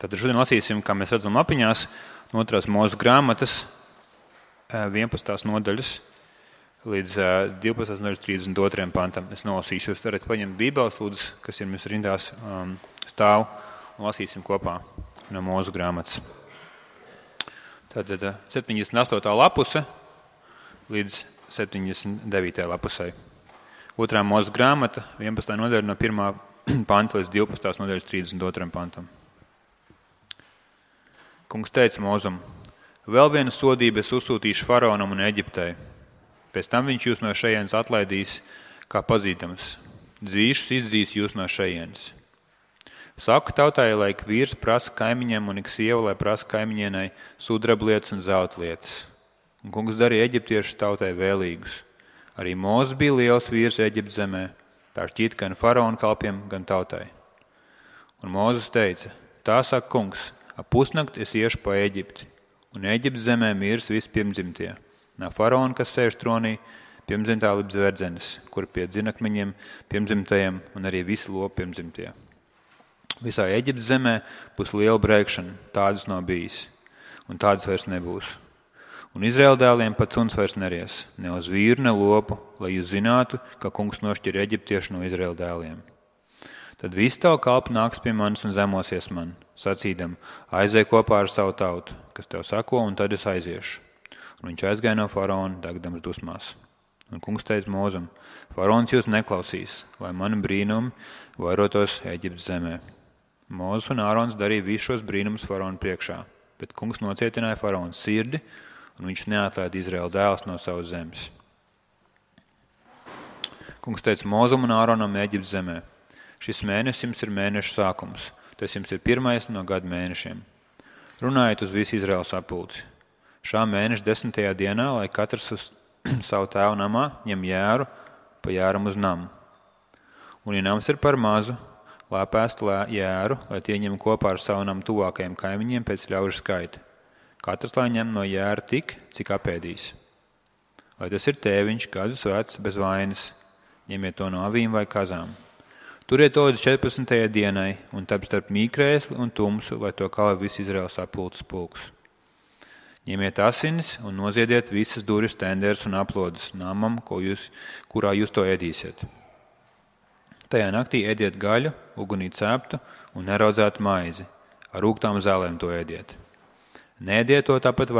Tad šodien lasīsim, kā mēs redzam lapiņās, no 2. Mūzes grāmatas 11. nodaļas līdz 12. nodaļas 32. pantam. Es nolasīšu, jūs varat paņemt bībeles, lūdzu, kas ir mums rindās stāv, un lasīsim kopā no Mūzes grāmatas. Tātad 78. lapuse līdz 79. lapusei. 2. Mūzes grāmata, 11. nodaļa no 1. panta līdz 12. nodaļas 32. pantam. Kungs teica Mūzum: vēl vienu sodību es uzsūtīšu faraonam un Eģiptei. Pēc tam viņš jūs no šejienes atlaidīs kā pazītams. Dzīšus izdzīs jūs no šejienes. Saku tautai, lai ik vīrs prasa kaimiņiem un ik sieva, lai prasa kaimiņienai sudrablietas un zelta lietas. Un kungs darīja eģiptiešu tautai vēlīgus. Arī Mūzes bija liels vīrs Eģiptes zemē, tā šķita gan faraona kalpiem, gan tautai. Un Mūzes teica: tā saka kungs, ap pusnakti es iešu pa Eģipti, un Eģiptes zemē mirs visi pirmdzimtie. No faraona, kas sēž tronī, pirmdzimtā līdz verdzenes, kur pie dzinakmeņiem pirmdzimtajiem un arī visi lopi pirmdzimtie. Visā Eģiptes zemē būs liela brēkšana, tādas nav bijis, un tādas vairs nebūs. Un Izraēla dēliem pat suns vairs neries, ne uz vīru, ne lopu, lai jūs zinātu, ka kungs nošķir eģiptiešu no Izraēla dēliem. Tad visi tavu kalpi nāks pie manis un zemosies man, sacīdam: aizej kopā ar savu tautu, kas tev sako, un tad es aiziešu. Un viņš aizgāja no faraona, degdams dusmās. Un kungs teica Mūzum: faraons jūs neklausīs, lai mani brīnumi vairotos Eģiptes zemē. Mūzes un Ārons darīja visus šos brīnumus faraona priekšā, bet kungs nocietināja faraona sirdi, un viņš neatlaida Izraēla dēlus no savas zemes. Kungs teica Mūzum un Āronam Eģiptes zemē: šis mēnesis jums ir mēneša sākums, tas jums ir 1. no gada mēnešiem. Runājiet uz visu Izraēlu sapulci. Šā mēneša 10. dienā, lai katrs uz savu tēvu namā ņem jēru pa jēram uz namu. Un, ja nams ir par mazu, lēpēst jēru, lai tie ņem kopā ar savu namu tuvākajiem kaimiņiem pēc ļaužu skaita. Katrs lai ņem no jēra tik, cik apēdīs. Lai tas ir tēviņš, gadus vecs, bez vainas, ņemiet to no avīm vai kazām. Turiet to līdz 14. dienai, un tad starp mīkrēsli un tumsu, lai to kalē visu Izraēlas sapulces pulks. Ņemiet asinis un noziediet visas durvis, tenders un aplodes namam, kurā jūs to ēdīsiet. Tajā naktī ēdiet gaļu, ugunī ceptu un neraudzētu maizi. Ar rūgtām zālēm to ēdiet. Neēdiet to tāpat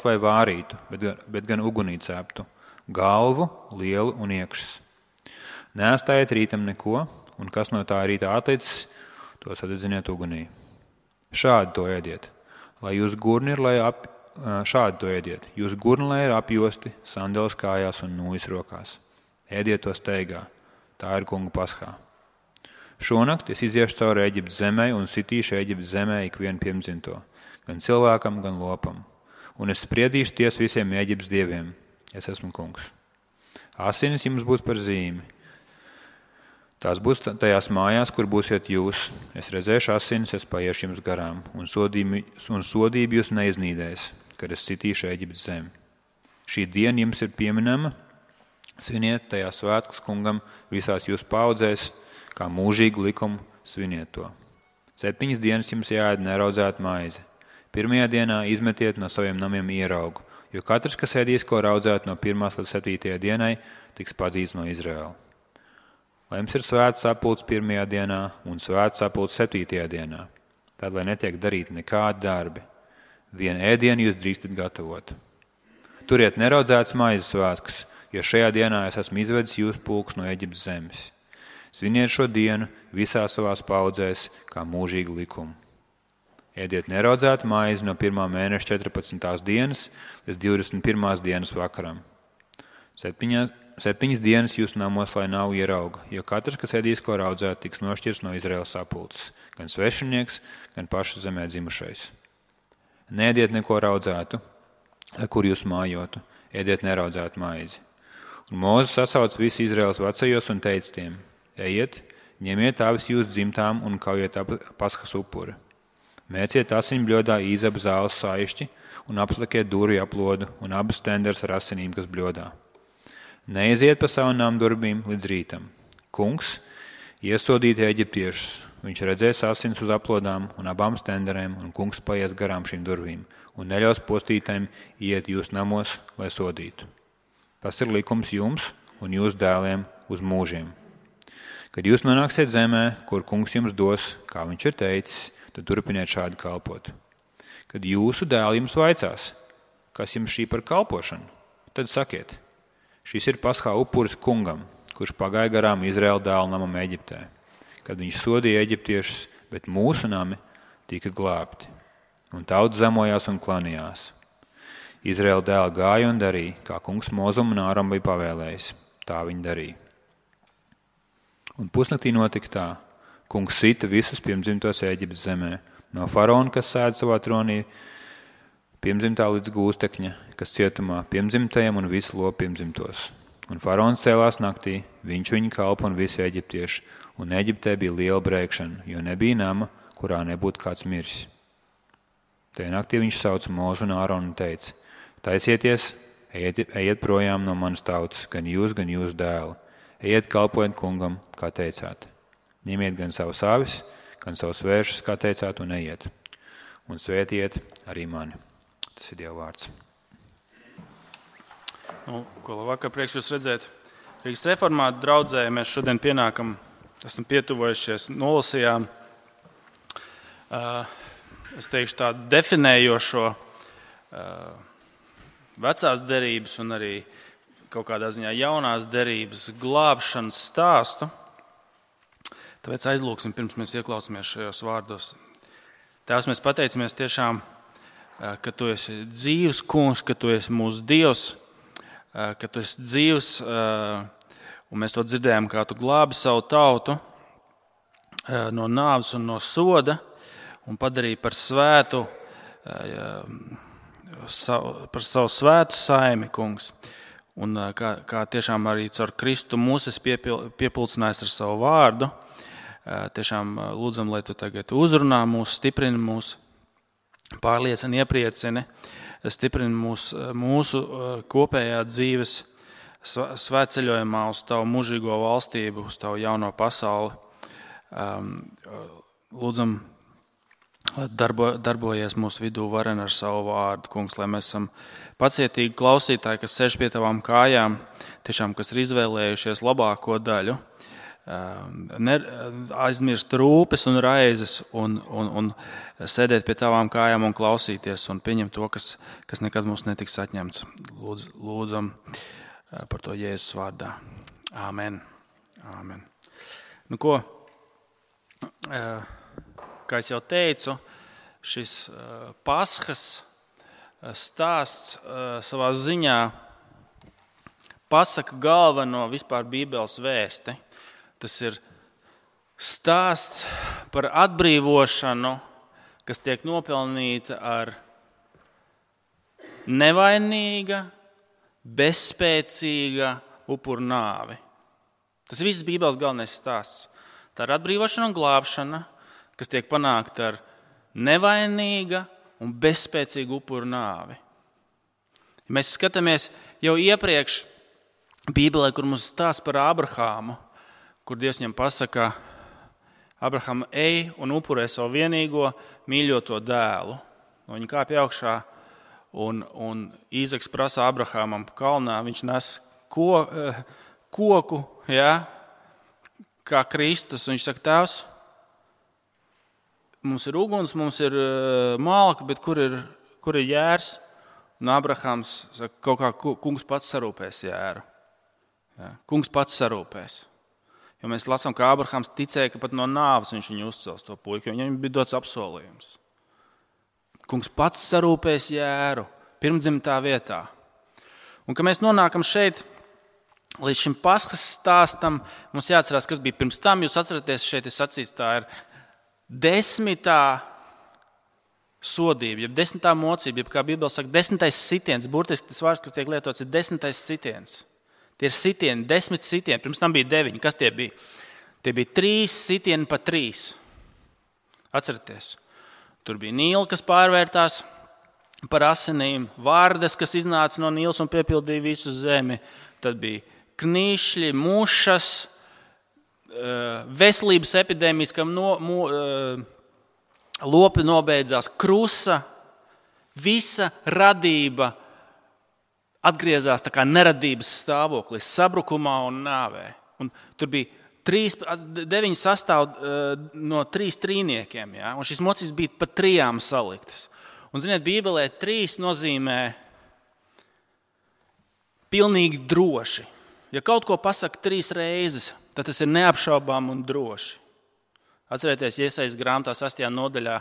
vai vārītu, bet gan ugunī ceptu, galvu, lielu un iekšas. Neatstājiet rītam neko, un kas no tā rītā atlicis, to sadedziniet ugunī. Šādi to ēdiet. Jūs gurni ir apjosti, sandeles kājās un nūjas rokās. Ēdiet to steigā. Tā ir kunga paskā. Šonakt es iziešu cauri Eģiptes zemē un sitīšu Eģiptes zemē ikvienu pirmdzimto, gan cilvēkam, gan lopam. Un es spriedīšu tiesu visiem Eģiptes dieviem. Es esmu kungs. Asinis jums būs par zīmi. Tās būs tajās mājās, kur būsiet jūs. Es redzēšu asinis, es paiešu jums garām, un sodību jūs neiznīdēs, kad es sitīšu Eģiptes zemi. Šī diena jums ir pieminama, sviniet tajā svētkus kungam visās jūsu paudzēs, kā mūžīgu likumu sviniet to. 7 dienas jums jāēd neraudzētu maizi. 1. dienā izmetiet no saviem namiem ieraugu, jo katrs, kas ēdīs ko raudzētu no 1. līdz 7. dienai, tiks padzīts no Izraēla. Lai jums ir svēts sapulcs 1. dienā un svēts sapulcs 7. dienā. Tad, lai netiek darīt nekādi darbi, vienu ēdienu jūs drīkstat gatavot. Turiet neraudzētas maizes svētkus, jo šajā dienā es esmu izvedis jūsu pulks no Eģiptes zemes. Sviniet šo dienu visās savās paudzēs kā mūžīgu likumu. Ēdiet neraudzētu maizi no 1. mēneša 14. dienas līdz 21. dienas vakaram. 7 dienas jūsu namos, lai nav ierauga, jo katrs, kas ēdīs ko raudzētu, tiks nošķirs no Izraēlas sapulces, gan svešinieks, gan paša zemē dzimušais. Neēdiet neko raudzētu, kur jūs mājotu, ēdiet neraudzētu maizi. Un Mūzes sasauc visu Izraēlas vecajos un teica tiem: ejiet, ņemiet avis jūsu dzimtām un kaujiet paskas upuri. Mēciet asiņbļodā īzabu zāles saišķi un apslikiet durvju aplodu un abas tenders ar asinīm, kas bļodā. Neiziet pa savu namu durvīm līdz rītam. Kungs iesodīt eģiptiešus, viņš redzēs asins uz aplodām un abām stenderēm, un kungs paies garām šīm durvīm, un neļaus postītājiem iet jūs namos, lai sodītu. Tas ir likums jums un jūsu dēliem uz mūžiem. Kad jūs nonāksiet zemē, kur kungs jums dos, kā viņš ir teicis, tad turpiniet šādi kalpot. Kad jūsu dēli jums vaicās, kas jums šī par kalpošanu, tad sakiet, šis ir paskā upuris kungam, kurš pagāja garām Izraēla dēlu namam Eģiptē, kad viņš sodīja eģiptiešus, bet mūsu nami tika glābti. Un tauts zemojās un klanījās. Izraēla dēli gāja un darīja, kā kungs Mozum un Āram bija pavēlējis. Tā viņi darīja. Un pusnaktī notika tā. Kungs sita visus pirmdzimtos Ēģiptes zemē, no faraona, kas sēd savā tronī, pirmdzimtā līdz gūstekņa, kas cietumā pirmdzimtajam un visu lopu pirmdzimtos. Un faraons cēlās naktī, viņš viņa kalpa un visi eģiptieši, un Eģiptē bija liela brēkšana, jo nebija nama, kurā nebūtu kāds miris. Tajā naktī viņš sauca Mozu un Āronu un teica, taisieties, ejiet projām no manas tautas, gan jūs dēli. Ejiet kalpojiet kungam, kā teicāt. Ņemiet gan savus avis, gan savus vēršus, kā teicāt, un ejiet. Un svētiet arī mani. Tas ir Dieva vārds. Ko labvakar, prieks jūs redzēt. Rīgas reformātu draudzē mēs šodien pienākam, esam pietuvojušies, nolasījām, es teikšu tādu definējošo vecās derības un arī kaut kādā ziņā jaunās derības glābšanas stāstu. Tāpēc aizlūksim, pirms mēs ieklausāmies šajos vārdos. Tēvs, mēs pateicamies tiešām, ka tu esi dzīvs kungs, ka tu esi mūsu Dievs, ka tu esi dzīvs, un mēs to dzirdējām, kā tu glābi savu tautu no nāves un no soda un padarīji par svētu, par savu svētu saimi, kungs. Un kā tiešām arī caur Kristu mūs esi piepulcinājis ar savu vārdu. Tiešām lūdzam, lai tu tagad uzrunā mūs, stiprini mūs, pārliecini, iepriecini, stiprini mūsu kopējā dzīves svētceļojumā uz tavu mūžīgo valstību, uz tavu jauno pasauli. Lūdzam, lai darbojies mūsu vidū varen ar savu vārdu, kungs, lai mēs esam pacietīgi klausītāji, kas sēž pie tavām kājām, tiešām, kas ir izvēlējušies labāko daļu, aizmirst rūpes un raizes un sēdēt pie tavām kājām un klausīties un pieņemt to, kas nekad mums netiks atņemts. Lūdzam par to Jēzus vārdā. Āmen. Āmen. Nu ko, kā es jau teicu, šis Paskas stāsts savā ziņā pasaka galveno vispār Bībeles vēsti. Tas ir stāsts par atbrīvošanu, kas tiek nopelnīta ar nevainīga, bezspēcīga upuru nāvi. Tas viss Bībeles galvenais stāsts. Tā ir atbrīvošana un glābšana, kas tiek panākta ar nevainīga un bezspēcīgu upuru nāvi. Ja mēs skatāmies jau iepriekš Bībelē, kur mums stāsta par Abrahāmu, kur Dievs viņam pasaka, Abraham, ej un upurē savu vienīgo mīļoto dēlu. Viņi kāpj augšā un Īzaks prasa Abrahamam kalnā, viņš nes koku, ja, kā Kristus, un viņš saka, tēvs, mums ir uguns, mums ir malka, bet kur ir jērs? Un Abrahams saka, kaut kā kungs pats sarūpēs jēru. Ja, kungs pats sarūpēs. Jo mēs lasām, ka Abrahams ticēja, ka pat no nāves viņš viņu uzcels to puiku, jo viņam bija dots apsolījums. Kungs pats sarūpēs jēru pirmdzimtā vietā. Un, kad mēs nonākam šeit, līdz šim Paskas stāstam, mums jāatcerās, kas bija pirms tam. Jūs atceraties, šeit ir sacīts, tā ir 10. sodība, jeb 10. mocība, jeb kā Bībele saka, 10. sitiens. Burtiski tas vārds, kas tiek lietots, ir 10. sitiens. Tie ir sitieni, 10 sitieni, pirms tam bija 9. Kas tie bija? Tie bija 3 sitieni pa 3. Atcerieties, tur bija Nīla, kas pārvērtās par asinīm, vārdes, kas iznāca no Nīlas un piepildīja visu zemi. Tad bija knīšļi, mušas, veselības epidēmijas, kam lopi nobeidzās, krusa, visa radība atgriezās tā kā neradības stāvoklī, sabrukumā un nāvē. Un tur bija 9 sastāv no 3 trīniekiem, ja? Un šis mocības bija pa 3 saliktas. Un, ziniet, Bībelē 3 nozīmē pilnīgi droši. Ja kaut ko pasaka 3 reizes, tad tas ir neapšaubām un droši. Atcerieties, Jesajas grāmatā 8. nodaļā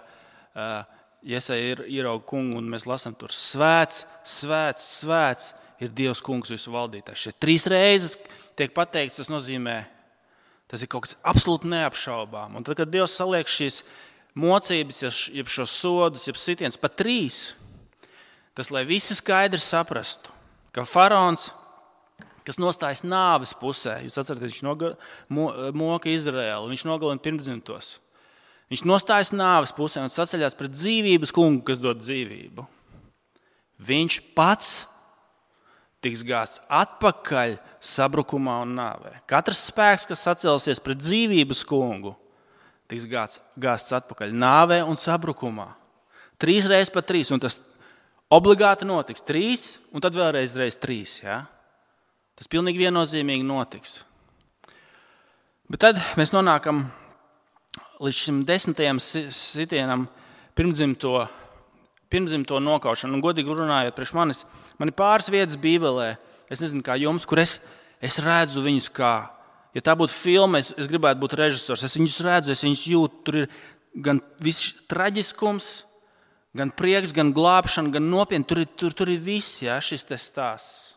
Jesaja ierauga kungu, un mēs lasām tur: svēts, svēts, svēts ir Dievs kungs visu valdītājs. Šeit 3 reizes tiek pateikts, tas nozīmē, tas ir kaut kas absolūti neapšaubām. Un tad, kad Dievs saliek šīs mocības, jeb šos sodus, jeb sitiens pa 3, tas, lai visi skaidri saprastu, ka faraons, kas nostājas nāves pusē, jūs atceraties, viņš moka Izraēlu, viņš nogalina pirmdzimtos. Viņš nostājas nāves pusē un saceļās pret dzīvības kungu, kas dod dzīvību. Viņš pats tiks gāsts atpakaļ sabrukumā un nāvē. Katrs spēks, kas sacelsies pret dzīvības kungu, tiks gāsts atpakaļ nāvē un sabrukumā. 3 reizes pa 3, un tas obligāti notiks. 3, un tad vēlreiz 3. Ja? Tas pilnīgi viennozīmīgi notiks. Bet tad mēs nonākam līdz šim 10. sitienam, pirmdzimto nokaušanu. Un, godīgi runājot, priekš manis, man ir pāris vietas Bībelē, es nezinu, kā jums, kur es redzu viņus kā, ja tā būtu filma, es gribētu būt režisors, es viņus redzu, es viņus jūtu, tur ir gan viss traģiskums, gan prieks, gan glābšana, gan nopietni, tur ir viss, ja, šis te stāsts.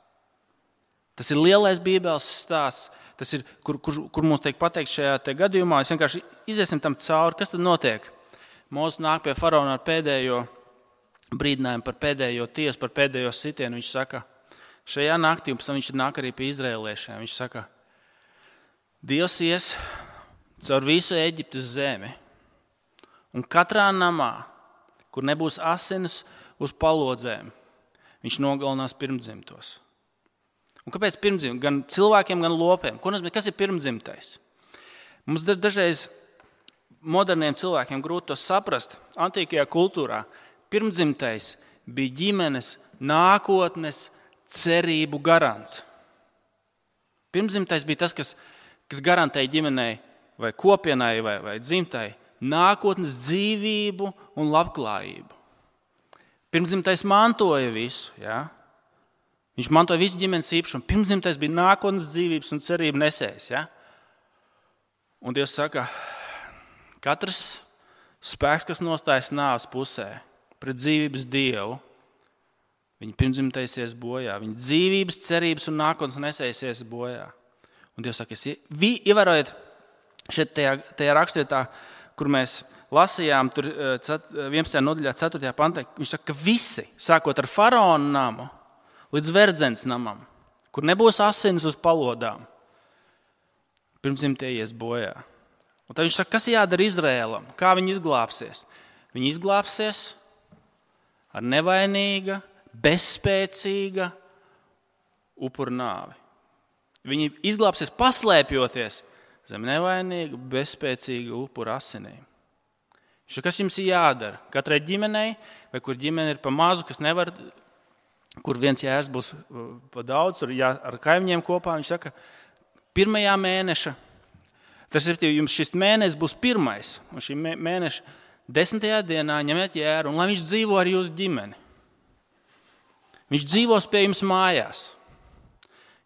Tas ir lielais Bībeles stāsts, tas ir, kur mums tiek pateikts šajā te gadījumā, es vienkārši iziesim tam cauri, kas tad notiek. Mūzes nāk pie faraona ar pēdējo brīdinājumu par pēdējo tiesu, par pēdējo sitienu. Viņš saka, šajā naktī, un pēc tam viņš nāk arī pie izraēliešiem. Viņš saka, Dievs ies caur visu Eģiptes zemi, un katrā namā, kur nebūs asinis uz palodzēm, viņš nogalinās pirmdzimtos. Un kāpēc pirmdzimt? Gan cilvēkiem, gan lopiem. Kas ir pirmdzimtais? Mums dažreiz moderniem cilvēkiem grūti to saprast. Antīkajā kultūrā pirmdzimtais bija ģimenes nākotnes cerību garants. Pirmdzimtais bija tas, kas garantēja ģimenei vai kopienai vai dzimtai nākotnes dzīvību un labklājību. Pirmdzimtais mantoja visu, ja? Viņš mantoja visu ģimenes īpašumu. Pirmdzimtais bija nākotnes dzīvības un cerību nesējs. Ja? Un Dievs saka, katrs spēks, kas nostājas nāves pusē pret dzīvības Dievu, viņa pirmdzimtais ies bojā. Viņa dzīvības, cerības un nākotnes nesējs ies bojā. Un Dievs saka, ievērojiet šeit tajā rakstvietā, kur mēs lasījām, tur 11. nodaļā 4. pantā, viņš saka, ka visi, sākot ar faraona namu, līdz verdzens namam, kur nebūs asinis uz palodām, pirmdzimtie ies bojā. Un tad viņš saka, kas jādara Izraēlam? Kā viņi izglābsies? Viņi izglābsies ar nevainīga, bezspēcīga upura nāvi. Viņi izglābsies paslēpjoties zem nevainīga, bezspēcīga upura asinīm. Kas jums ir jādara? Katrai ģimenei, vai kur ģimene ir pa mazu, kas nevar, kur viens jērs būs pa daudz, tur ar kaimiņiem kopā, viņš saka, 1. mēneša, tas ir, jums šis mēnesis būs 1. un šī mēneša 10. dienā ņemiet jēru, un lai viņš dzīvo ar jūsu ģimeni. Viņš dzīvos pie jums mājās.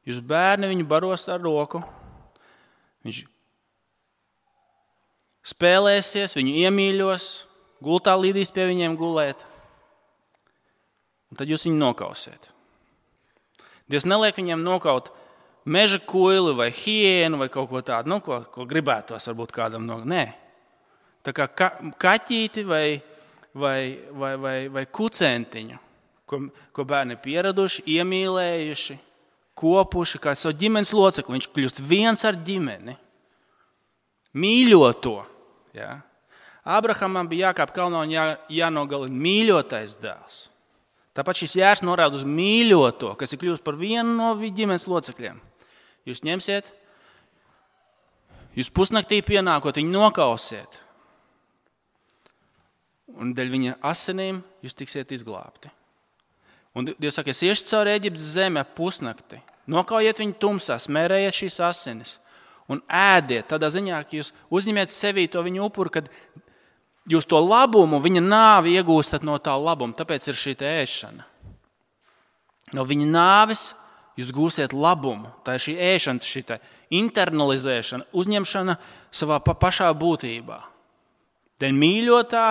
Jūs bērni viņu baros ar roku, viņš spēlēsies, viņu iemīļos, gultā līdīs pie viņiem gulēt. Un tad jūs viņu nokausiet. Dievs neliek viņiem nokaut meža kuili vai hienu vai kaut ko tādu, ko gribētos varbūt kādam nokaut. Nē. Tā kā kaķīti vai kucentiņu, ko bērni ir pieraduši, iemīlējuši, kopuši kā savu ģimenes locekli. Viņš kļūst viens ar ģimeni. Mīļoto. Ja? Abrahamam bija jākāp kalnā un jānogalina mīļotais dēls. Tāpat šis jērs norāda uz mīļoto, kas ir kļūst par vienu no ģimenes locekļiem. Jūs ņemsiet, Jūs pusnaktī pienākot, viņu nokausiet. Un dēļ viņa asinīm jūs tiksiet izglābti. Un Dievs saka, es iešu cauri Eģiptes zemi ap pusnakti. Nokaujiet viņu tumsā, smērējiet šīs asinis un ēdiet. Tādā ziņā, ka jūs uzņemiet sevī to viņu upuru, kad jūs to labumu, viņa nāvi iegūstat no tā labuma. Tāpēc ir šī ēšana. No viņa nāves jūs gūsiet labumu. Tā ir šī ēšana, šī internalizēšana, uzņemšana savā pašā būtībā. Dēļ mīļotā,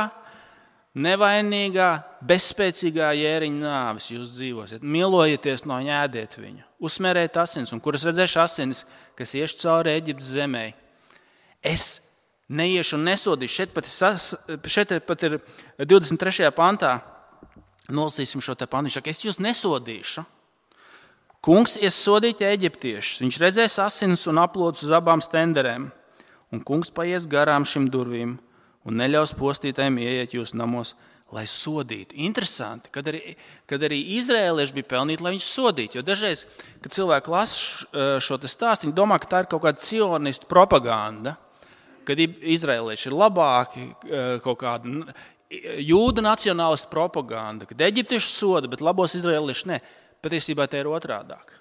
nevainīgā, bezspēcīgā jēriņa nāves jūs dzīvosiet. Milojieties no viņa, ēdiet viņu. Uzsmērējiet asinis, un kur es redzēšu asinis, kas iešu cauri Eģiptes zemē. Es neiešu un nesodīšu. Šeit pat ir 23. pantā. Nolasīsim šo te pantu. Viņš saka, es jūs nesodīšu. Kungs ies sodīt eģiptiešus. Viņš redzēs asinis un aplodus uz abām stenderēm. Un kungs paies garām šim durvīm un neļaus postītājiem ieiet jūsu namos, lai sodītu. Interesanti, kad arī izrēlieši bija pelnīti, lai viņus sodītu. Jo dažreiz, kad cilvēki lasa šo te stāstu, viņi domā, ka tā ir kaut kāda cionistu propaganda, kad izrēlieši ir labāki, kaut kāda jūda nacionālistu propaganda, kad eģiptieši soda, bet labos izrēlieši ne. Patiesībā tā ir otrādāk.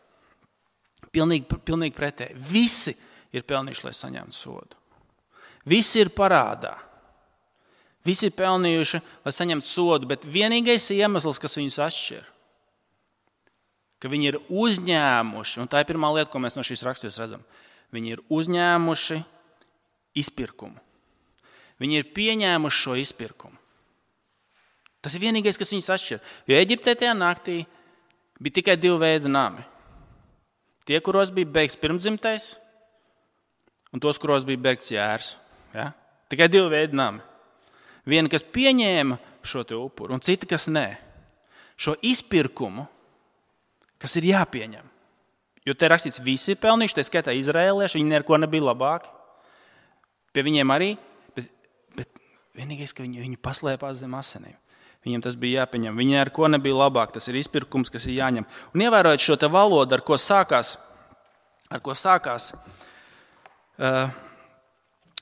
Pilnīgi pretēji. Visi ir pelnījuši, lai saņemtu sodu. Visi ir parādā. Visi ir pelnījuši, lai saņemtu sodu, bet vienīgais iemesls, kas viņus atšķir, ka viņi ir uzņēmuši, un tā ir pirmā lieta, ko mēs no šīs raksturības redzam, viņi ir uzņēmuši izpirkumu. Viņi ir pieņēmuši šo izpirkumu. Tas ir vienīgais, kas viņus atšķir. Jo Eģiptē tajā naktī bija tikai 2 veidi nami. Tie, kuros bija beigts pirmdzimtais, un tos, kuros bija beigts jērs. Ja? Tikai 2 veidi nami. Viena, kas pieņēma šo te upuru, un cita, kas nē. Šo izpirkumu, kas ir jāpieņem. Jo te rakstīts, visi ir pelnījuši, tā skaitā izrēlieši, viņi neko nebija labāki. Pie viņiem arī, bet vienīgais, ka viņi paslēpās zem asinīm. Viņiem tas bija jāpieņem. Viņi ar ko nebija labāk, tas ir izpirkums, kas ir jāņem. Un ievērojot šo te valodu, ar ko sākās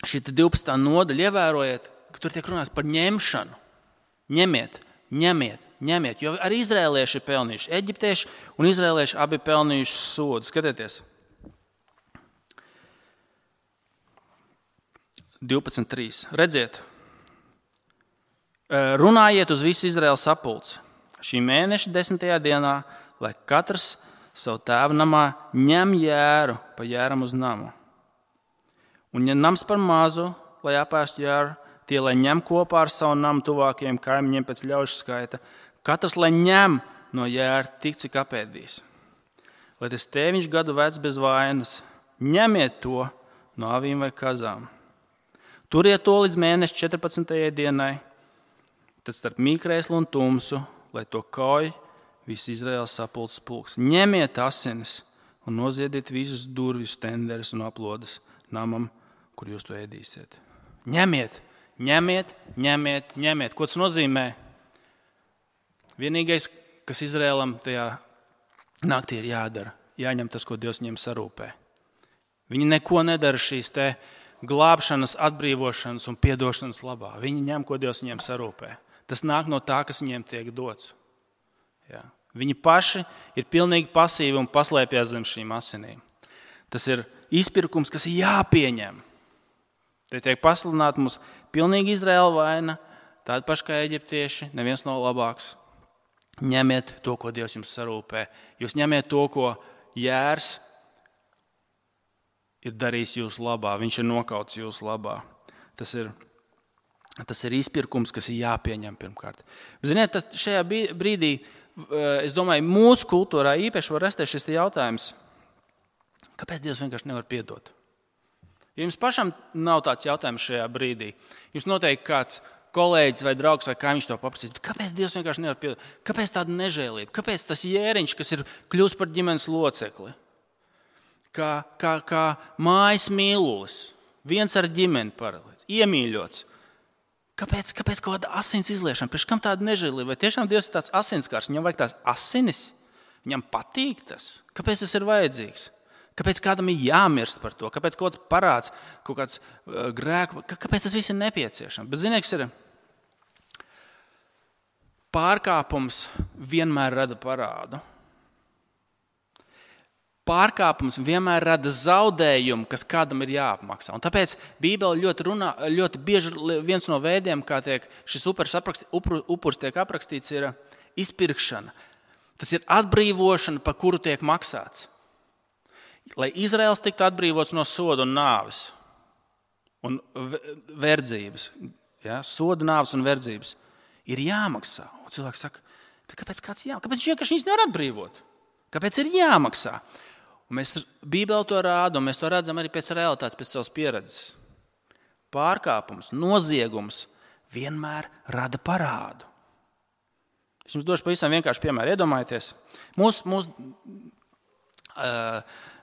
šī 12. nodaļa, ievērojiet, ka tur tiek runāts par ņemšanu. Ņemiet, jo arī izrēlieši ir pelnījuši. Eģiptieši un izrēlieši abi pelnījuši sodu. Skatieties. 12.3. Redziet, runājiet uz visu Izraēlas sapulci šī mēneša 10. dienā, lai katrs savu tēva namā ņem jēru pa jēram uz namu. Un ja nams par mazu, lai apēstu jēru, tie, lai ņem kopā ar savu namu tuvākajiem kaimiņiem pēc ļaužu skaita, katrs, lai ņem no jēra tik, cik apēdīs. Lai tas tēviņš gadu vecs bez vainas, ņemiet to no avīm vai kazām. Turiet to līdz mēneša 14. dienai, tad starp mīkrēslu un tumsu, lai to kauj viss Izraēlas sapulces pulks. Ņemiet asinis un noziediet visus durvis, tenderes un aplodes namam, kur jūs to ēdīsiet. Ņemiet. Ko tas nozīmē? Vienīgais, kas Izraēlam tajā naktī ir jādara, jāņem tas, ko Dievs viņiem sarūpē. Viņi neko nedara šīs te glābšanas, atbrīvošanas un piedošanas labā. Viņi ņem, ko Dievs viņiem sarūpē. Tas nāk no tā, kas viņiem tiek dots. Jā. Viņi paši ir pilnīgi pasīvi un paslēpjas zem šīm asinīm. Tas ir izpirkums, kas ir jāpieņem. Te tiek pasludināta mums pilnīgi Izraēla vaina, tāda paša kā eģiptieši, neviens nav labāks. Ņemiet to, ko Dievs jums sarūpē. Jūs ņemiet to, ko jērs ir darījis jūsu labā. Viņš ir nokauts jūsu labā. Tas ir izpirkums, kas ir jāpieņem pirmkārt. Ziniet, šajā brīdī, es domāju, mūsu kultūrā īpaši var rasties šis jautājums, kāpēc Dievs vienkārši nevar piedot? Ja jums pašam nav tāds jautājums šajā brīdī, jums noteikti kāds kolēģis vai draugs vai kaimiņš to paprasīs, kāpēc Dievs vienkārši nevar piedot? Kāpēc tāda nežēlība? Kāpēc tas jēriņš, kas ir kļūst par ģimenes locekli? Kā mājas mīlulis, viens ar ģimeni paralēts, iemīļots. Kāpēc kaut kāda asins izliešana? Priekš kam tāda nežēlība? Vai tiešām Dievs ir tāds asinskārs? Viņam vajag tās asinis? Viņam patīk tas? Kāpēc tas ir vajadzīgs? Kāpēc kādam ir jāmirst par to? Kāpēc kaut kāds parāds, kaut kāds grēks, kāpēc tas viss ir nepieciešams? Bet, ziniet, kas ir? Pārkāpums vienmēr rada parādu. Pārkāpums vienmēr rada zaudējumu, kas kādam ir jāapmaksā. Un tāpēc Bībele ļoti bieži viens no veidiem, kā šis upuris tiek aprakstīts, ir izpirkšana. Tas ir atbrīvošana, par kuru tiek maksāts. Lai Izraels tiktu atbrīvots no soda un nāves un verdzības, soda, nāves un verdzības, ir jāmaksā. Un cilvēks saka, kāpēc viņš vienkārši nevar atbrīvot? Kāpēc ir jāmaksā? Un mēs Bībelē to rāda, un mēs to redzam arī pēc realitātes, pēc savas pieredzes. Pārkāpums, noziegums vienmēr rada parādu. Es jums došu pavisam vienkārši piemēru. Iedomājieties, mūsu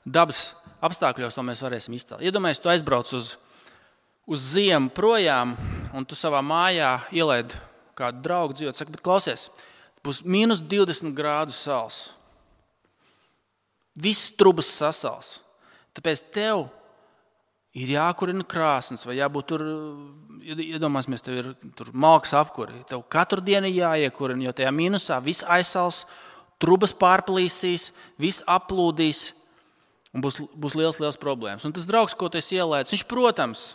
dabas apstākļos to mēs varēsim iztēlot. Iedomājieties, tu aizbrauc uz ziemu projām, un tu savā mājā ielaid kādu draugu dzīvot. Saka, bet klausies, būs minus 20 grādu sals. Viss trubas sasals. Tāpēc tev ir jākurina krāsnes, vai jābūt tur, iedomāsimies, tev ir tur malks apkuri. Tev katru dienu jāiekurina, jo tajā minusā viss aizsals, trubas pārplīsīs, viss aplūdīs, un būs liels problēmas. Un tas draugs, ko tu esi ielēdis, viņš, protams,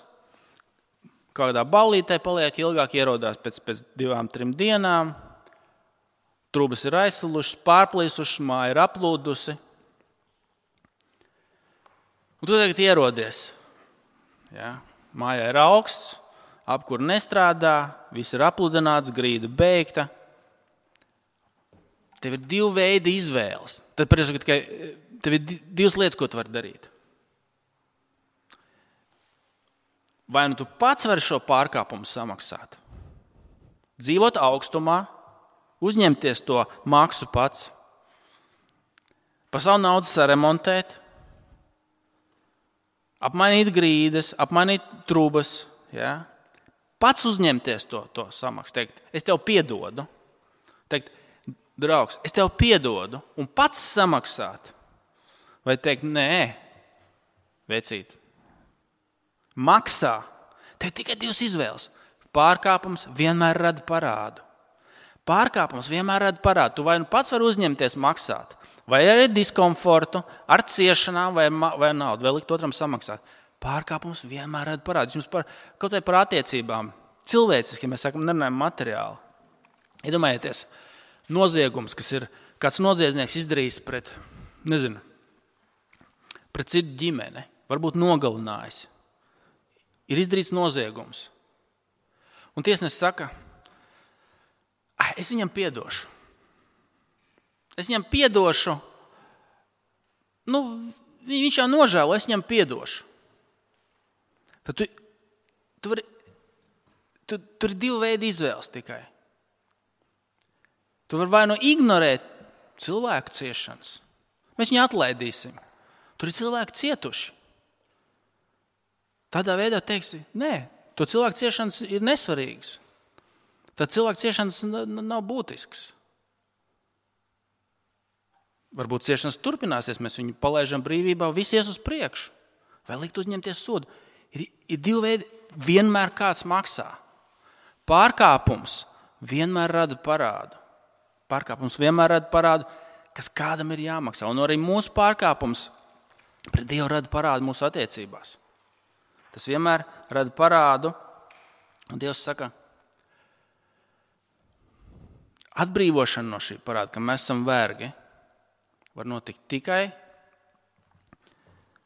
kādā ballītē paliek ilgāk, ierodās pēc 2-3 dienām, trubas ir aizsalušas, pārplīsušas, māja ir aplūdusi. Un tu tagad ierodies. Ja? Mājā ir augsts, apkur nestrādā, viss ir apludināts, grīda beigta. Tev ir 2 veidi izvēles. Tad tev ir 2 lietas, ko tu vari darīt. Vai nu tu pats vari šo pārkāpumu samaksāt? Dzīvot augstumā, uzņemties to maksu pats, pa savu naudu saremontēt, apmainīt grīdas, apmainīt trubas, ja? Pats uzņemties to samaksu, teikt, es tev piedodu, teikt, draugs, es tev piedodu un pats samaksāt, vai teikt, nē, vecīt, maksā, tev tikai 2 izvēles, pārkāpums vienmēr rada parādu. Pārkāpums vienmēr rada parādu, tu vai nu pats vari uzņemties maksāt, vai ar diskomfortu, ar ciešanām, vai naudu, vai likt otram samaksāt. Pārkāpums vienmēr rada parādu. Jums kaut vai par attiecībām, cilvēciski, mēs sakam, nerunājam materiāli. Iedomājieties, noziegums, kas ir kāds noziedznieks izdarījis pret citu ģimeni, varbūt nogalinājis. Ir izdarīts noziegums. Un tiesnesis saka, es viņam piedošu. Es viņam piedošu, viņš jau nožēlo, es viņam piedošu. Tad tur ir 2 veidi izvēles tikai. Tu vari vai nu ignorēt cilvēku ciešanas. Mēs viņu atlaidīsim. Tur ir cilvēki cietuši. Tādā veidā teiksi, nē, to cilvēku ciešanas ir nesvarīgas. Tad cilvēku ciešanas nav būtisks. Varbūt ciešanas turpināsies, mēs viņu palaižam brīvībā, viss ies uz priekšu. Vai likt uzņemties sodu? Ir 2 veidi, vienmēr kāds maksā. Pārkāpums vienmēr rada parādu. Pārkāpums vienmēr rada parādu, kas kādam ir jāmaksā. Un arī mūsu pārkāpums pret Dievu rada parādu mūsu attiecībās. Tas vienmēr rada parādu, un Dievs saka, atbrīvošana no šī parāda, ka mēs esam vergi, var notikt tikai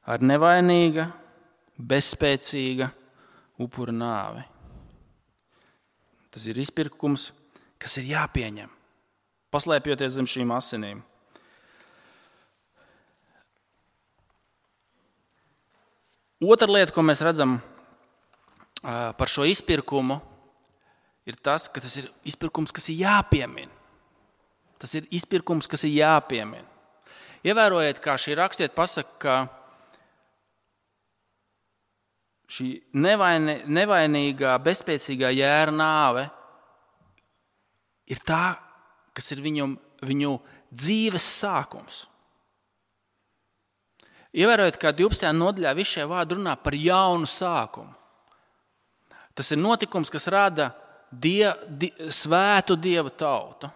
ar nevainīga, bezspēcīga upura nāvi. Tas ir izpirkums, kas ir jāpieņem, paslēpjoties zem šīm asinīm. Otra lieta, ko mēs redzam par šo izpirkumu, ir tas, ka tas ir izpirkums, kas ir jāpiemina. Tas ir izpirkums, kas ir jāpiemina. Ievērojiet, kā šī rakstiet pasaka, ka šī nevainīgā, bezspēcīgā jēra nāve ir tā, kas ir viņu dzīves sākums. Ievērojot, kā 12. nodaļā visi šie vārdi runā par jaunu sākumu. Tas ir notikums, kas rada svētu Dieva tautu.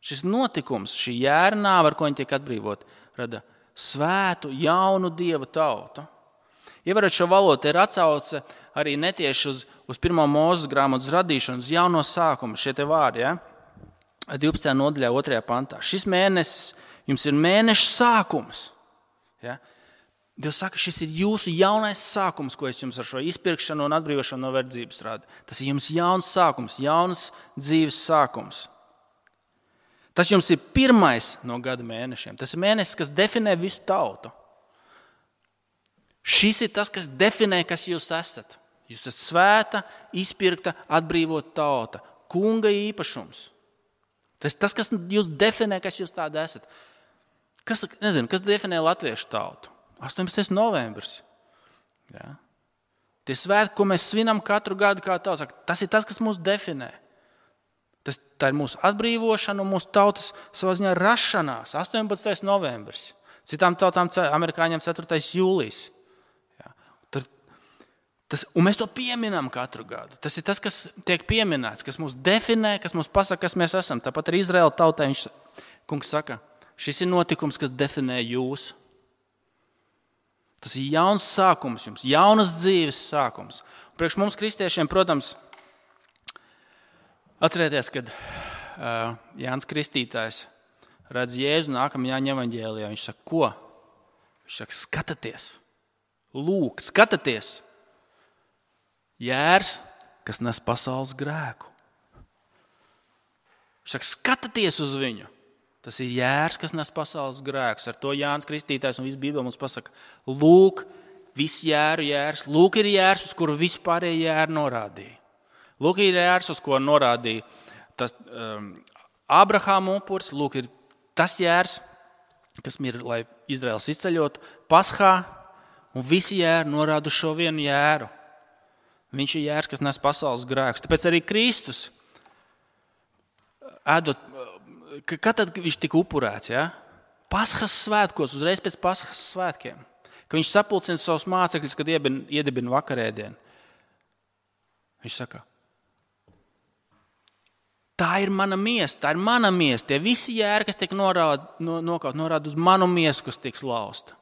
Šis notikums, šī jērnāva, ar ko viņi tiek atbrīvot, rada svētu, jaunu Dieva tautu. Ievērot šo valodu, ir atsauce arī netieši uz 1. Mūzes grāmatas radīšanu, uz jauno sākumu, šie te vārdi, 12. nodaļā, 2. pantā. Šis mēnesis jums ir mēneša sākums. Ja? Dievs saka, šis ir jūsu jaunais sākums, ko es jums ar šo izpirkšanu un atbrīvošanu no verdzības rādu. Tas ir jums jauns sākums, jauns dzīves sākums. Tas jums ir pirmais no gada mēnešiem. Tas ir mēnesis, kas definē visu tautu. Šis ir tas, kas definē, kas jūs esat. Jūs esat svēta, izpirkta, atbrīvota tauta. Kunga īpašums. Tas ir tas, kas jūs definē, kas jūs tādi esat. Kas definē latviešu tautu? 18. novembris. Ja? Tie svētki, ko mēs svinam katru gadu, kā tauta, tas ir tas, kas mūs definē. Tā ir mūsu atbrīvošana un mūsu tautas savā ziņā rašanās. 18. novembris. Citām tautām, amerikāņiem 4. jūlijs. Ja? Un mēs to pieminam katru gadu. Tas ir tas, kas tiek pieminēts, kas mūs definē, kas mūs pasaka, kas mēs esam. Tāpat arī Izraēla tautai kungs saka, šis ir notikums, kas definē jūs. Tas ir jauns sākums jums, jaunas dzīves sākums. Priekš mums kristiešiem, protams, atcerieties, kad Jānis Kristītājs redz Jēzu nākamajā Jāņa evaņģēlijā. Viņš saka, ko? Viņš saka, skatieties, lūk, skatieties. Jērs, kas nes pasaules grēku. Viņš saka, skatieties uz viņu. Tas ir jērs, kas nes pasaules grēkus. Ar to Jānis Kristītājs un viss Bībele mums pasaka, lūk, viss jēru jērs. Lūk ir jērs, uz kuru vispārējie jēri norādīja. Lūk ir jērs, uz ko norādīja tas Ābrahāma upuris. Lūk ir tas jērs, kas ir, lai Izraels izceļotu Paskā, un visi jēri norāda uz šo vienu jēru. Viņš ir jērs, kas nes pasaules grēkus. Tāpēc arī Kristus ēdot. Kad tad viņš tika upurēts? Ja? Paskas svētkos, uzreiz pēc Paskas svētkiem. Kad viņš sapulcina savus mācekļus, kad iedibina vakarēdienu. Viņš saka, tā ir mana miesa, tā ir mana miesa. Tie visi jēri, kas tiek norāda uz manu miesu, kas tiks lausta.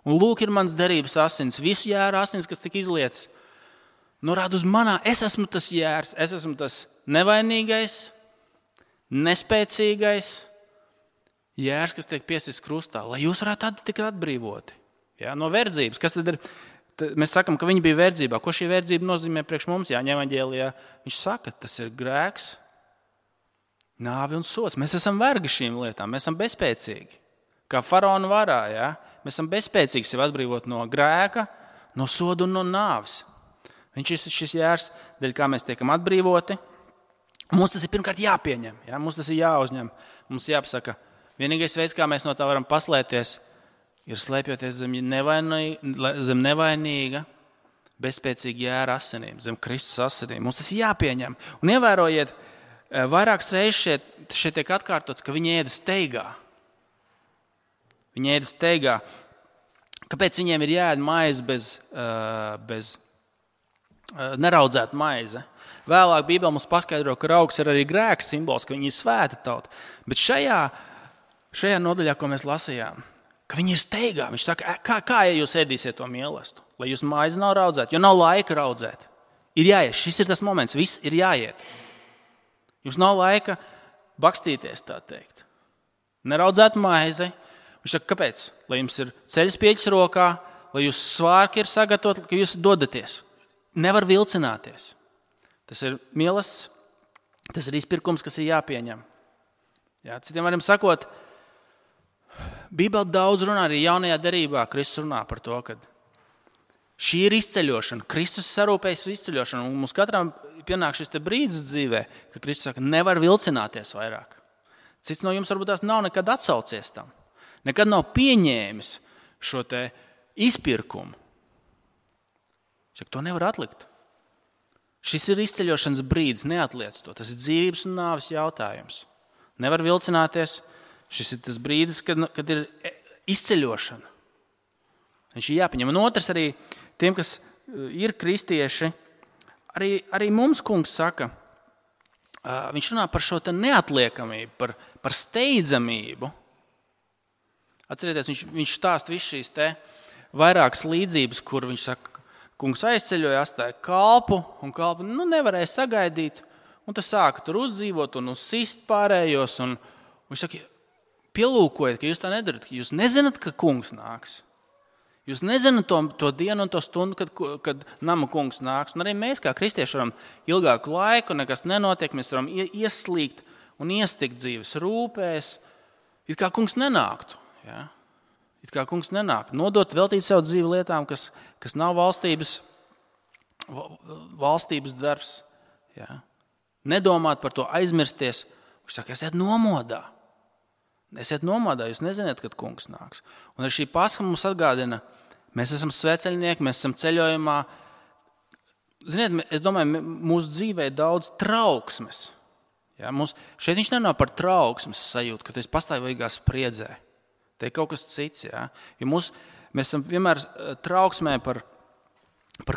Un lūk ir mans derības asins, visu jēru asins, kas tika izlietas, norāda uz manā. Es esmu tas jērs, es esmu tas nevainīgais, nespēcīgais jērs, kas tiek piesists krustā, lai jūs varētu tikt atbrīvoti. Ja, no verdzības. Kas tad ir? Mēs sakam, ka viņi bija verdzībā. Ko šī verdzība nozīmē priekš mums? Jāņa evaņģēlijā viņš saka, tas ir grēks, nāve un sods. Mēs esam vergi šīm lietām, mēs esam bezspēcīgi. Kā faraona varā, ja? Mēs esam bezspēcīgi sevi atbrīvot no grēka, no soda un no nāves. Viņš ir šis jērs, dēļ kā mēs tiekam atbrīvoti. Mums tas ir pirmkārt jāpieņem, ja? Mums tas ir jāuzņem. Mums jāpasaka, vienīgais veids, kā mēs no tā varam paslēpties, ir slēpjoties zem nevainīga, bezspēcīga jēra asinīm, zem Kristus asinīm. Mums tas ir jāpieņem. Un ievērojiet, vairākas reizes šeit tiek atkārtots, ka viņi ēda steigā. Viņi ēda steigā. Kāpēc viņiem ir jāēd maize bez neraudzēta maize? Vēlāk Bībele mums paskaidro, ka raugs ir arī grēks simbols, ka viņi ir svēta tauta. Bet šajā nodaļā, ko mēs lasījām, ka viņi ir steigā. Viņš saka, kā ja jūs ēdīsiet to mīlestību? Lai jūs maizi nav raudzēt, jo nav laika raudzēt. Ir jāiet, šis ir tas moments, viss ir jāiet. Jums nav laika bakstīties, tā teikt. Neraudzēt maizi. Viņš saka, kāpēc? Lai jums ir ceļas pieķis rokā, lai jūs svārki ir sagatavot, ka jūs dodaties. Nevar vilcināties. Tas ir mīlestības, tas ir izpirkums, kas ir jāpieņem. Jā, citiem varam sakot, Bībele daudz runā arī jaunajā derībā. Kristus runā par to, ka šī ir izceļošana. Kristus sarūpējas izceļošanu. Un mums katram pienāk šis brīdis dzīvē, ka Kristus saka, nevar vilcināties vairāk. Cits no jums varbūt tās nav nekad atsaucies tam. Nekad nav pieņēmis šo te izpirkumu. Saka, to nevar atlikt. Šis ir izceļošanas brīdis, neatliec to. Tas ir dzīvības un nāves jautājums. Nevar vilcināties. Šis ir tas brīdis, kad ir izceļošana. Viņš ir jāpieņem. Un otrs arī tiem, kas ir kristieši, arī mums kungs saka, viņš runā par šo neatliekamību, par steidzamību. Atcerieties, viņš stāsta visu šīs vairākas līdzības, kur viņš saka, kungs aizceļoja, atstāja kalpu, un kalpu nevarēja sagaidīt, un tas sāka tur uzdzīvot un uzsist pārējos, un viņš saka, pielūkojiet, ka jūs tā nedarat, ka jūs nezināt, ka kungs nāks. Jūs nezināt to dienu un to stundu, kad nama kungs nāks. Un arī mēs, kā kristieši, varam ilgāku laiku, nekas nenotiek, mēs varam ieslīgt un iestikt dzīves rūpēs, it kā kungs nenāktu. Ja? It kā kungs nenāk. Nodot, veltīt savu dzīvi lietām, kas nav valstības darbs. Ja? Nedomāt par to, aizmirsties. Viņš saka, esiet nomodā. Esiet nomodā, jūs nezināt, kad kungs nāks. Un arī šī Pascha mums atgādina, mēs esam sveceļnieki, mēs esam ceļojumā. Ziniet, es domāju, mūsu dzīvē ir daudz trauksmes. Ja? Šeit viņš nenāk par trauksmes sajūtu, ka tu esi pastāvīgā spriedzē. Te ir kaut kas cits. Ja? Mēs esam vienmēr trauksmē par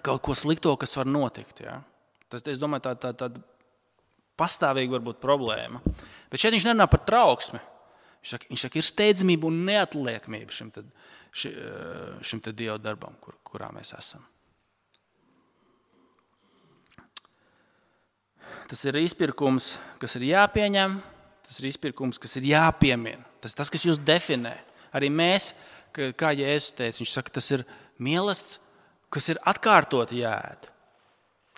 kaut ko slikto, kas var notikt. Ja? Tas, es domāju, tāda pastāvīga varbūt problēma. Bet šeit viņš nerunā par trauksmi. Viņš saka, ir steidzamība un neatliekamība šim Dieva darbam, kurā mēs esam. Tas ir izpirkums, kas ir jāpieņem, tas ir izpirkums, kas ir jāpiemina. Tas ir tas, kas jūs definē. Arī mēs, kā Jēzus teica, viņš saka, tas ir mīlestības, kas ir atkārtot jāēd.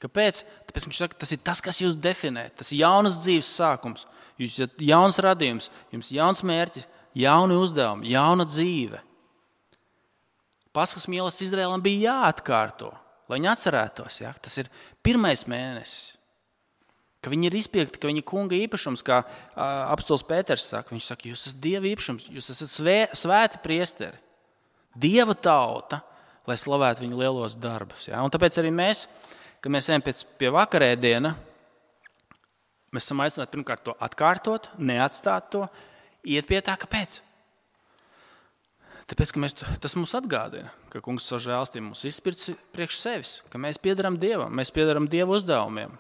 Kāpēc? Tāpēc viņš saka, tas ir tas, kas jūs definē. Tas ir jaunas dzīves sākums. Jūs esat jauns radījums, jums jauns mērķis, jauni uzdevumi, jauna dzīve. Paskas mīlestības Izraēlam bija jāatkārto, lai viņi atcerētos. Ja? Tas ir pirmais mēnesis, ka viņi ir izpirkti, ka viņi kunga īpašums, kā apostols Pēters saka. Viņš saka, jūs esat Dieva īpašums, jūs esat svēti priesteri, Dieva tauta, lai slavētu viņu lielos darbus. Ja? Un tāpēc arī mēs, kad mēs ejam pie vakarēdiena, mēs esam aicināti pirmkārt to atkārtot, neatstāt to, iet pie tā, kāpēc? Tāpēc, ka tas mums atgādina, ka kungs savu žēlstību mums izpirts priekš sevis, ka mēs piederam Dievam, mēs piederam Dieva uzdevumiem.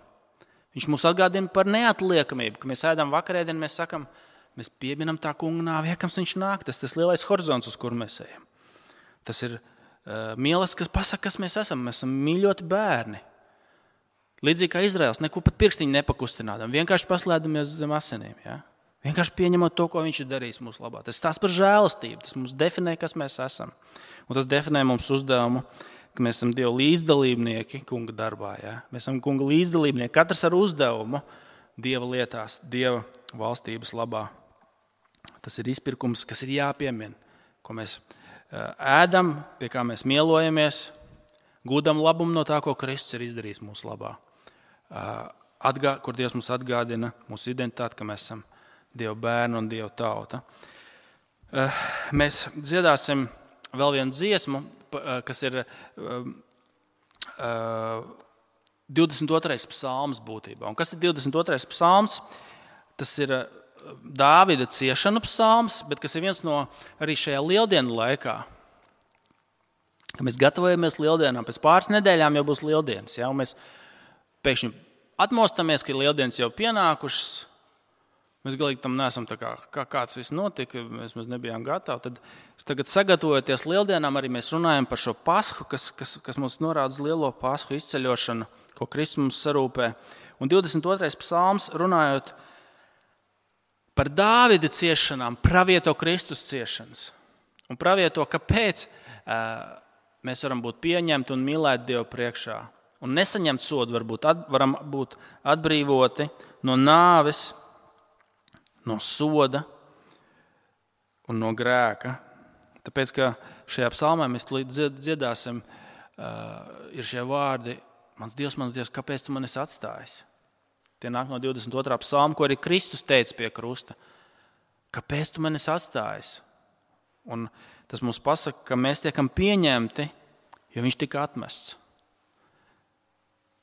Viņš mums atgādina par neatliekamību, ka mēs ēdam vakarēdienu, mēs sakam, mēs pieminam tā kunga nāvi, iekams viņš nāk, tas lielais horizons, uz kur mēs ejam. Tas ir mīlestības, kas pasaka, kas mēs esam mīļoti bērni. Līdzīgi kā Izraels, neko pat pirkstiņu nepakustinādam, vienkārši paslēdamies zem asinīm. Ja? Vienkārši pieņemot to, ko viņš ir darījis mūsu labā. Tas tās par žēlastību, tas mums definē, kas mēs esam. Un tas definē mums uzdevumu, ka mēs esam Dieva līdzdalībnieki kunga darbā. Ja? Mēs esam kunga līdzdalībnieki, katrs ar uzdevumu Dieva lietās, Dieva valstības labā. Tas ir izpirkums, kas ir jāpiemina, ko mēs ēdam, pie kā mēs mielojamies, gūdam labumu no tā, ko Kristus ir izdarījis mūsu labā. Kur Dievs mums atgādina mūsu identitāti, ka mēs esam Dieva bērni un Dieva tauta. Mēs dziedāsim vēl vienu dziesmu, kas ir 22. psalms būtībā. Un kas ir 22. psalms? Tas ir Dāvida ciešanu psalms, bet kas ir viens no arī šajā lieldienu laikā. Kad mēs gatavojamies lieldienām, pēc pāris nedēļām jau būs lieldienas. Ja? Un mēs pēkšņi atmostamies, ka lieldienas jau pienākušas. Mēs galīgi tam neesam tā kā kāds viss notika, mēs nebijām gatavi. Tad tagad sagatavojoties lieldienām, arī mēs runājam par šo Pasku, kas mums norāda uz lielo Pasku izceļošanu, ko Kristus mums sarūpē. Un 22. psalms runājot par Dāvida ciešanām, pravieto Kristus ciešanas. Un pravieto, kāpēc mēs varam būt pieņemti un mīlēti Dievu priekšā. Un nesaņemt sodu, varam būt atbrīvoti no nāves, no soda un no grēka. Tāpēc, ka šajā psalmā mēs dziedāsim, ir šie vārdi, mans Dievs, kāpēc tu mani esi atstājis? Tie nāk no 22. psalma, ko arī Kristus teica pie krusta. Kāpēc tu mani esi atstājis? Un tas mums pasaka, ka mēs tiekam pieņemti, jo viņš tika atmests.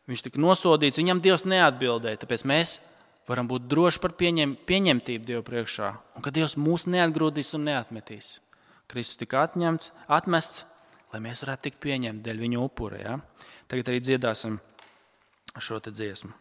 Viņš tika nosodīts, viņam Dievs neatbildēja, tāpēc mēs varam būt droši par pieņemtību Dievu priekšā, un ka Dievs mūs neatgrūdīs un neatmetīs. Kristus tika atmests, lai mēs varētu tikt pieņemti dēļ viņa upura. Ja? Tagad arī dziedāsim šo te dziesmu.